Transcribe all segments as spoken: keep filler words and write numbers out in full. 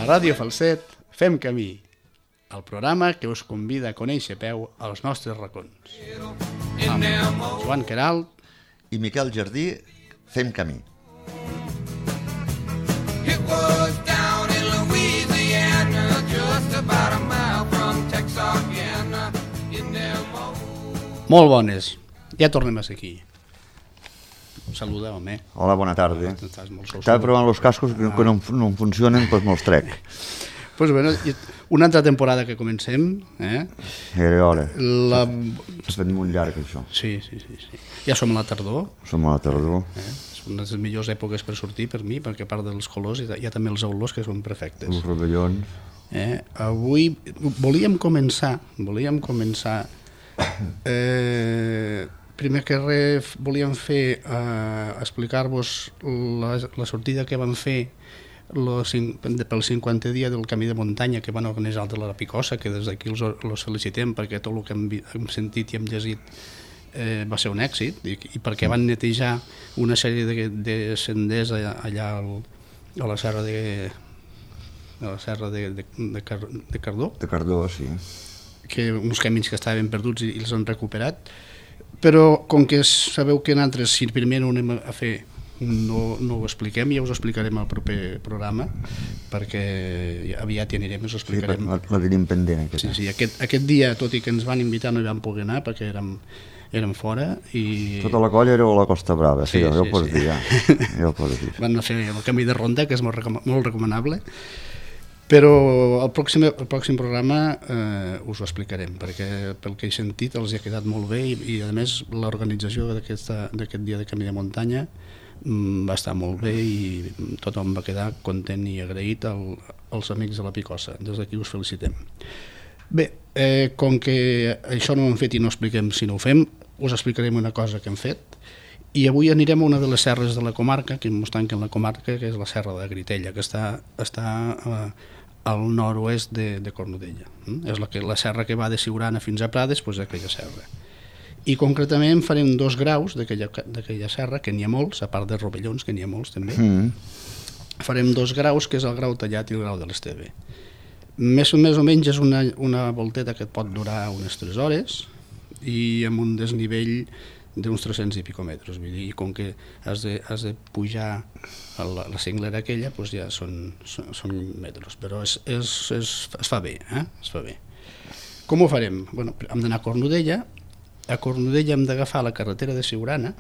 Ràdio Falset fem camí, el programa que us convida a conèixer a peu als nostres racons. Amb Joan Queralt i Miquel Jardí fem camí. It was down in Louisiana, just about a mile from Texarkana. Molt bones, ja tornem a ser aquí. Saluda, home. Hola, bona tarda. Estàs molt sol. Estava provant els cascos que, que no, no em funcionen, doncs me'ls trec. Pues bueno, una altra temporada que comencem. Eh? Era hora. La... S'ha fet molt llarg, això. Sí, sí, sí, sí. Ja som a la tardor. Som a la tardor. Eh? Són les millors èpoques per sortir per mi, perquè a part dels colors hi ha també els olors que són perfectes. Els rovellons. Eh? Avui volíem començar, volíem començar... Eh... Primer que res volíem fer eh, explicar-vos la, la sortida que vam fer lo, pel cinquantè dia del camí de muntanya que van organitzar de la Picosa, que des d'aquí els, els felicitem perquè tot el que hem, hem sentit i hem llegit eh, va ser un èxit i, i perquè van netejar una sèrie de, de senders allà al, a la serra de a la serra de, de, de, Car, de Cardó, de Cardó, sí, que uns camins que estaven perduts i, i els han recuperat. Però com que sabeu que nosaltres, si primer no ho anem a fer, no, no ho expliquem, ja us ho explicarem al proper programa, perquè aviat hi anirem i us ho explicarem. Sí, la, la tenim pendent. Sí, sí, aquest, aquest dia, tot i que ens van invitar, no hi vam poder anar perquè érem, érem fora. I... Tota la colla era a la Costa Brava, sí, sí, ja ho pots sí. dir, ja. ja ho pots dir. Van fer el camí de ronda, que és molt, recom molt recomanable. Però el pròxim, el pròxim programa eh, us ho explicarem, perquè pel que he sentit els ha quedat molt bé i, i a més l'organització d'aquest dia de camí de muntanya mm, va estar molt bé i tothom va quedar content i agraït al, als amics de la Picosa. Des d'aquí us felicitem. Bé, eh, com que això no ho hem fet i no expliquem si no ho fem, us explicarem una cosa que hem fet i avui anirem a una de les serres de la comarca, que ens tanquen la comarca, que és la serra de Gritella, que està, està eh, al nord-oest de, de Cornudella. Mm? És la, que, la serra que va de Siurana fins a Prades, doncs aquella serra. I concretament farem dos graus d'aquella serra, que n'hi ha molts, a part de rovellons, que n'hi ha molts també. Mm. Farem dos graus, que és el grau tallat i el grau de l'Esteve. Més, més o menys és una, una volteta que et pot durar unes tres hores i amb un desnivell d'uns tres-cents i pico metres, vull dir, i com que has de, has de pujar a la, la cinglera aquella, doncs ja són, són, són metres, però és, és, és, es fa bé, eh? Es fa bé. Com ho farem? Bueno, hem d'anar a Cornudella, a Cornudella hem d'agafar la carretera de Siurana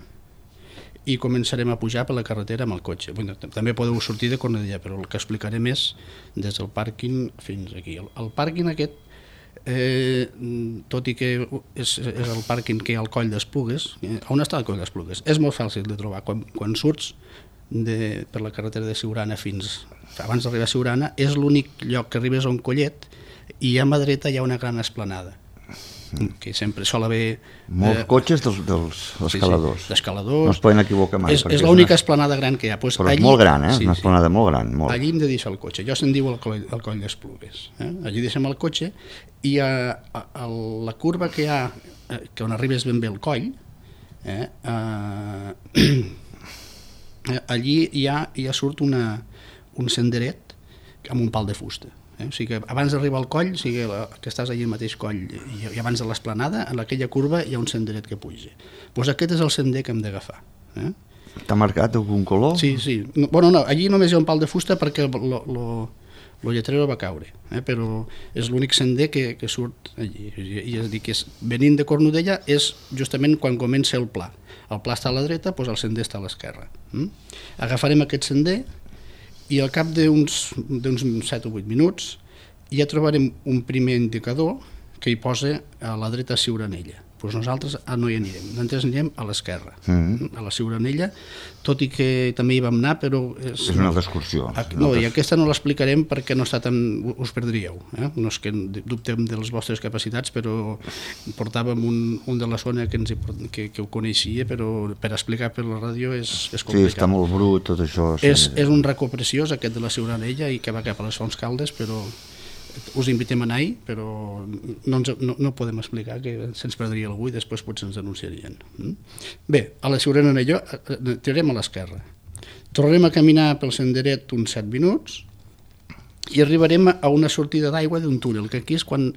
i començarem a pujar per la carretera amb el cotxe. Bueno, també podeu sortir de Cornudella, però el que explicarem és des del pàrquing fins aquí. El, el pàrquing aquest, Eh, tot i que és, és el pàrquing que hi ha al Coll d'Esplugues, eh, on està el Coll d'Esplugues? És molt fàcil de trobar. Quan, quan surts de, per la carretera de Siurana fins abans d'arribar a Siurana, és l'únic lloc que arribes a un collet i a mà dreta hi ha una gran esplanada, que sempre sol haver... Molts eh, cotxes dels, dels escaladors. Sí, sí, d'escaladors. No es poden equivocar mai. És, és l'única una... esplanada gran que hi ha. Pues però allí, és molt gran, eh? Sí, una esplanada sí. molt gran. Molt. Allí hem de deixar el cotxe. Jo se'n diu el coll, el coll d'Esplugues. Eh? Allí deixem el cotxe i a, a, a la curva que hi ha, que on arribes ben bé el coll, eh? eh, allí hi ha, hi ha surt una, un senderet amb un pal de fusta. Eh? O sigui que abans d'arribar al coll, o sigui que estàs allà al mateix coll i, i abans de l'esplanada, en aquella curva hi ha un senderet que puja. Doncs aquest és el sender que hem d'agafar. Eh? T'ha marcat algun color? Sí, sí. No, bueno, no, allí només hi ha un pal de fusta perquè lo, lo, lo lletrero va caure, eh? Però és l'únic sender que, que surt allí. I, i és dir, que és, venint de Cornudella és justament quan comença el pla. El pla està a la dreta, doncs el sender està a l'esquerra. Mm? Agafarem aquest sender i al cap d'uns set o vuit minuts ja trobarem un primer indicador que hi posa a la dreta Siuranella. Doncs nosaltres no hi anirem, nosaltres anirem a l'esquerra, mm. a la Siuranella, tot i que també hi vam anar, però... És, és una altra excursió. No, i aquesta no l'explicarem perquè no està tan... us perdríeu. Eh? No és que dubtem de les vostres capacitats, però portàvem un, un de la zona que, ens hi, que, que ho coneixia, però per explicar per la ràdio és, és complicat. Sí, està molt brut tot això. És, és un racó preciós aquest de la Siuranella i que va cap a les Fonts Caldes, però... us invitem a anar-hi, però no, ens, no, no podem explicar, que se'ns perdria algú i després potser ens denunciarien. Bé, a la Siuranella tirarem a l'esquerra. Tornarem a caminar pel senderet uns set minuts i arribarem a una sortida d'aigua d'un túnel, que aquí és quan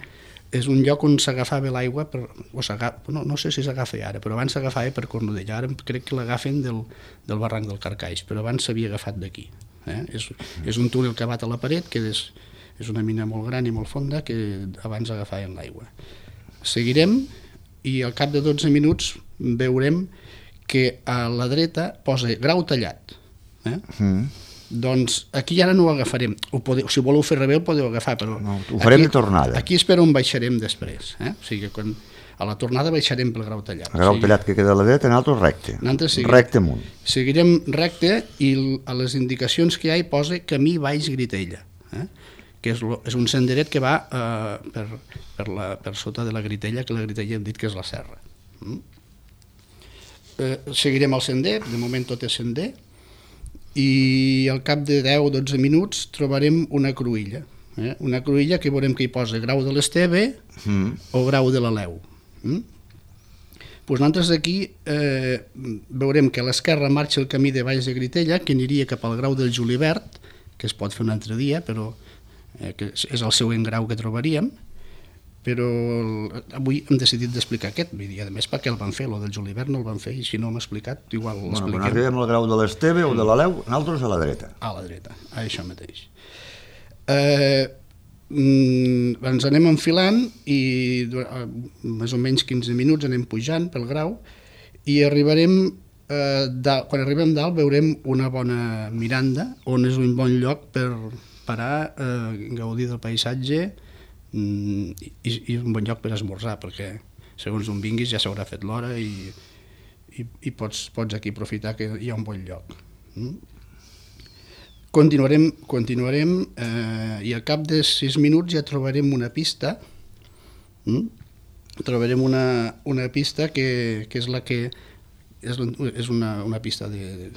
és un lloc on s'agafava l'aigua, per, o no, no sé si s'agafa ara, però abans s'agafava per Cornudella, ara crec que l'agafen del, del barranc del Carcaix, però abans s'havia agafat d'aquí. Eh? És, és un túnel que bat a la paret, que és, és una mina molt gran i molt fonda, que abans agafaven l'aigua. Seguirem i al cap de dotze minuts veurem que a la dreta posa grau tallat. Eh? Mm. Doncs aquí ara no ho agafarem. Ho podeu, si voleu fer rebé, ho podeu agafar, però no, ho farem aquí, de tornada. Aquí és per on baixarem després. Eh? O sigui que quan, a la tornada baixarem pel grau tallat. El grau o sigui, tallat que queda a la dreta, nosaltres recte. Nosaltres seguirem, recte amunt. Seguirem recte i a les indicacions que hi ha hi posa camí baix Gritella. Eh? Que és, lo, és un senderet que va eh, per, per, la, per sota de la Gritella, que la Gritella hem dit que és la serra. Mm? Eh, seguirem el sender, de moment tot és sender, i al cap de deu o dotze minuts trobarem una cruïlla. Eh? Una cruïlla que veurem que hi posa grau de l'Esteve mm. o grau de l'Aleu. Mm? Pues nosaltres aquí eh, veurem que a l'esquerra marxa el camí de Baix de Gritella, que aniria cap al grau del Julivert, que es pot fer un altre dia, però eh, que és el següent grau que trobaríem, però avui hem decidit d'explicar aquest, vull dir, a més perquè el van fer, el del Julivert no el van fer, i si no m'ha explicat, igual l'expliquem. Bueno, quan arribem al grau de l'Esteve o de l'Aleu, nosaltres a la dreta. A la dreta, a això mateix. Eh, mm, ens anem enfilant i eh, més o menys quinze minuts anem pujant pel grau i arribarem, eh, dalt, quan arribem dalt veurem una bona miranda, on és un bon lloc per parar, eh, gaudir del paisatge, i, i un bon lloc per esmorzar, perquè segons on vinguis ja s'haurà fet l'hora i, i, i pots, pots aquí aprofitar que hi ha un bon lloc. Mm? Continuarem, continuarem eh, i al cap de sis minuts ja trobarem una pista, mm? trobarem una, una pista que, que és la que és, és una, una pista de,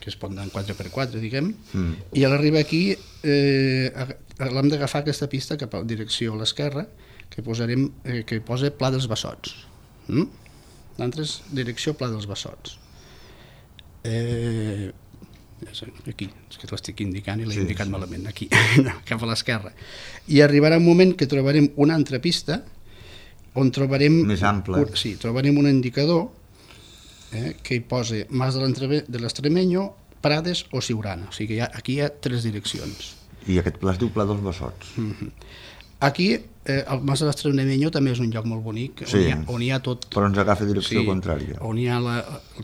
que es pot anar en quatre per quatre, diguem, mm. i a l'arribar aquí eh, l'hem d'agafar aquesta pista cap a direcció a l'esquerra, que posarem, eh, que posa Pla dels Bassots. Mm? L'altre direcció Pla dels Bassots. Eh, aquí, és que l'estic indicant i l'he sí, indicat sí. malament, aquí, cap a l'esquerra. I arribarà un moment que trobarem una altra pista, on trobarem... Més ampla. Un, sí, trobarem un indicador eh, que hi posa Mas de l'Estremenyo, Prades o Siurana. O sigui, hi ha, aquí hi ha tres direccions. I aquest pla es diu Pla dels Bassots. Mm-hmm. Aquí, eh, el Mas de l'Estremenyo també és un lloc molt bonic, sí, on, hi ha, on hi ha tot... Però ens agafa direcció sí, contrària. On hi ha la,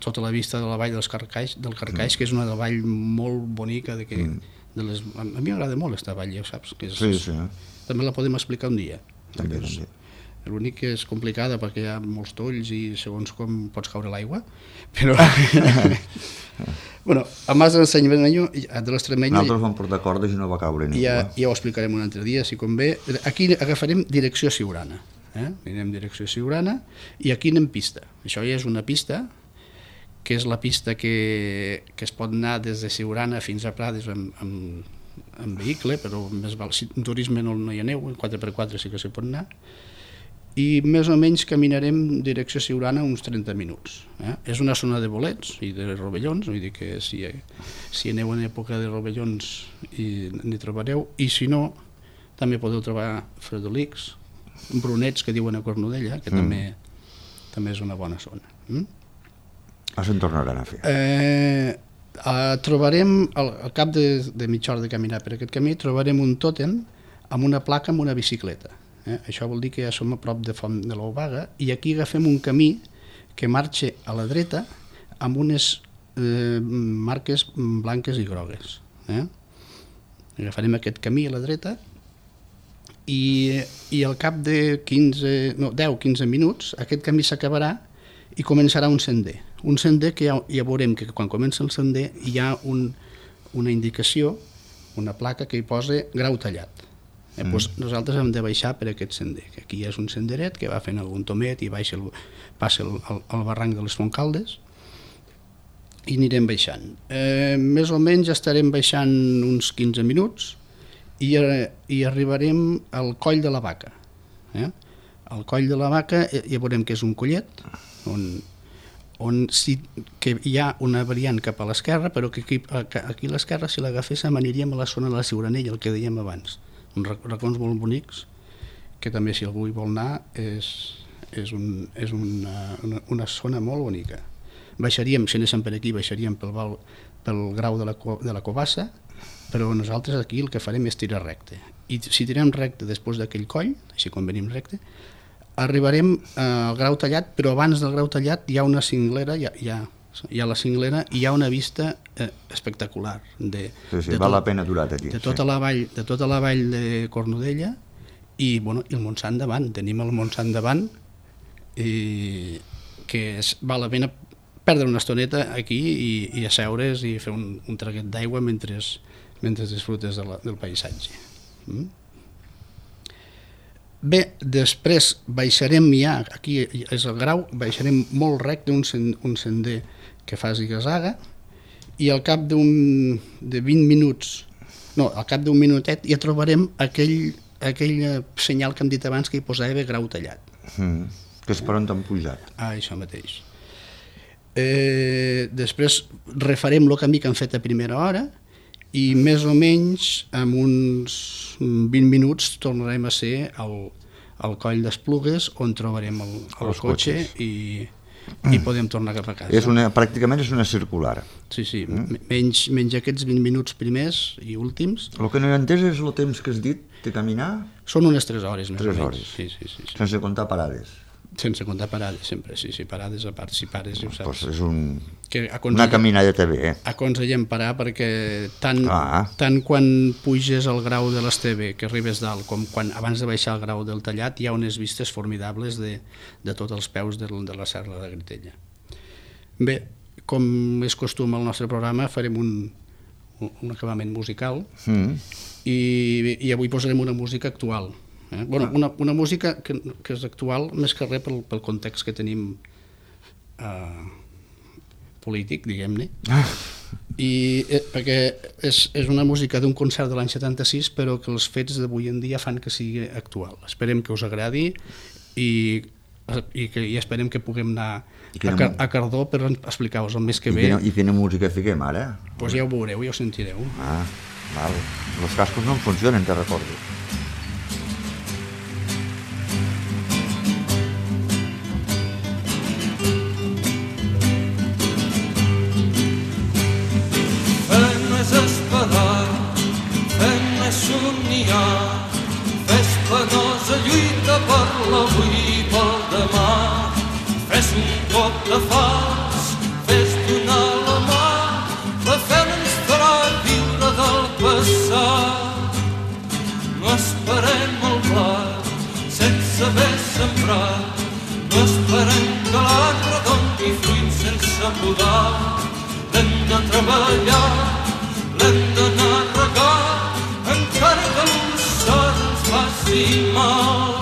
tota la vista de la vall dels Carcaix, del Carcaix, mm. que és una vall molt bonica. De que, mm. de les, a mi m'agrada molt aquesta vall, ja ho saps. Que és, sí, sí. També la podem explicar un dia. També, també. L'únic que és complicada perquè hi ha molts tolls i segons com pots caure l'aigua, però... bueno, a Mas de l'Estremenyo, de l'Estremenyo... Nosaltres vam portar cordes i no va caure ningú. Ja, ja ho explicarem un altre dia, si convé. Aquí agafarem direcció Siurana. Eh? Anem direcció Siurana i aquí anem pista. Això ja és una pista, que és la pista que, que es pot anar des de Siurana fins a Prades amb, amb, amb vehicle, però més val, si en turisme no, no hi aneu, en quatre per quatre sí que s'hi pot anar. I més o menys caminarem direcció Siurana uns trenta minuts. Eh? És una zona de bolets i de rovellons, vull dir que si, si aneu en època de rovellons n'hi trobareu, i si no, també podeu trobar fredolics, brunets que diuen a Cornudella, que mm. també, també és una bona zona. Mm? Ah, se'n tornaran a fer. Eh, eh, trobarem, al, al cap de, de mitja hora de caminar per aquest camí, trobarem un tòtem amb una placa amb una bicicleta. Eh? Això vol dir que ja som a prop de Font de l'Obaga i aquí agafem un camí que marxa a la dreta amb unes eh, marques blanques i grogues. Eh? Agafarem aquest camí a la dreta i, i al cap de quinze, no, deu a quinze minuts aquest camí s'acabarà i començarà un sender. Un sender que ja, ja veurem que quan comença el sender hi ha un, una indicació, una placa que hi posa grau tallat. Eh, doncs nosaltres hem de baixar per aquest sender, que aquí és un senderet que va fent algun tomet i baixa el, passa el, el, el barranc de les Fontcaldes i anirem baixant. Eh, més o menys estarem baixant uns quinze minuts i, i arribarem al Coll de la Vaca. Eh? Al Coll de la Vaca ja veurem que és un collet on, on sí que hi ha una variant cap a l'esquerra, però que aquí, aquí a l'esquerra, si l'agaféssim, aniríem a la zona de la Ciuranella, el que dèiem abans. Uns racons molt bonics, que també, si algú hi vol anar, és, és, un, és una, una, una zona molt bonica. Baixaríem, si anéssim per aquí, baixaríem pel, val, pel grau de la, de la Covassa, però nosaltres aquí el que farem és tirar recte. I si tirem recte després d'aquell coll, així quan venim recte, arribarem al Grau Tallat, però abans del Grau Tallat hi ha una cinglera, hi ha, hi ha, hi ha la cinglera i hi ha una vista eh, espectacular de, sí, sí, de, val tot, la pena aturar aquí, de, tota sí. la vall, de tota la vall de Cornudella i, bueno, i el Montsant davant. Tenim el Montsant davant i que es, val la pena perdre una estoneta aquí i, i asseure's i fer un, un traguet d'aigua mentre, mentre disfrutes de la, del paisatge. Mm? Bé, després baixarem ja, aquí és el Grau, baixarem molt recte un, sen, un sender que fa ziga-zaga i al cap d'un de vint minuts, no, al cap d'un minutet ja trobarem aquell, aquell senyal que hem dit abans que hi posava Grau Tallat. Mm, que és per on t'han pujat. Ah, això mateix. Eh, després refarem el camí que hem fet a primera hora i més o menys en uns vint minuts tornarem a ser al, al coll d'Esplugues on trobarem el, el cotxe i, i podem tornar cap a casa. És una, pràcticament és una circular. Sí, sí, mm. menys, menys aquests vint minuts primers i últims. El que no he entès és el temps que has dit de caminar? Són unes tres hores més tres o menys. Hores. Sí, sí, sí, sí. Sense comptar parades. Sense comptar parades, sempre, sí, sí, parades a part, si pares, ja ho saps. Pues és un, que una caminadeta bé, eh? Aconsellem parar perquè tant, ah. tant quan puges al Grau de l'Esteve, que arribes dalt, com quan abans de baixar al Grau del Tallat, hi ha unes vistes formidables de, de tots els peus de, de la Serra de Gritella. Bé, com és costum al nostre programa, farem un, un acabament musical mm. i, i avui posarem una música actual. Eh? Bueno, una, una música que, que és actual més que res pel, pel context que tenim eh, polític, diguem-ne, i eh, perquè és, és una música d'un concert de l'any setanta-sis però que els fets d'avui en dia fan que sigui actual. Esperem que us agradi i, i, que, i esperem que puguem anar a, Car a Cardó per explicar-vos el mes que I ve. Quina, I quina música fiquem ara? Doncs pues ja ho veureu, ja ho sentireu. Ah, val. Els cascos no en funcionen, te recordo. Fes penosa lluita per l'avui i pel demà. Fes un cop de fals, fes donar la mà. La fe ens farà viure del passat. No esperem el blat sense haver sembrat. No esperem que l'arbre doni fruit sense podar. L'hem de treballar, l'hem d'anar a regar, encara que l'ussar ens faci mal.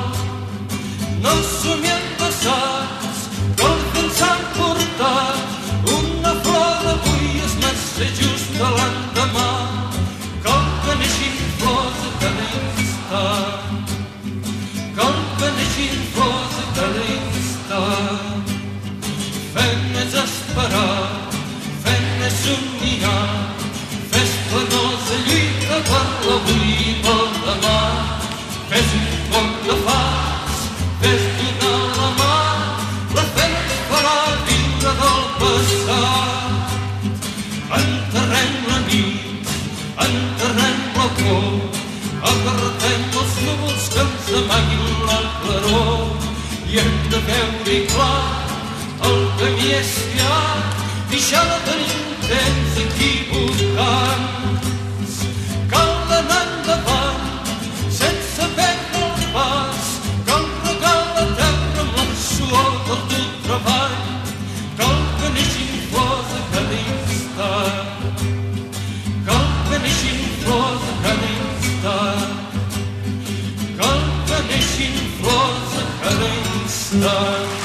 No somiem passats, que el vent s'ha portat. Una flor d'avui és massa just de l'endemà. Cal que neixin flors a cada instant. Cal que neixin flors a cada instant. Fem més esperar, fem més somniar. Fes penosa lluita per l'avui i pel demà. Fes un cop de fals, fes donar la mà. La fe ens farà viure del passat. Enterrem la nit, enterrem la por, apartem els núvols que ens amaguin la claror. I hem de veure clar el camí és llarg, deixar de tenir temps equivocants. Cal anar endavant sense perdre el pas. Cal regar la terra amb la suor del teu treball. Cal que neixin flors a cada instant. Cal que neixin flors a cada instant. Cal que neixin flors a cada instant.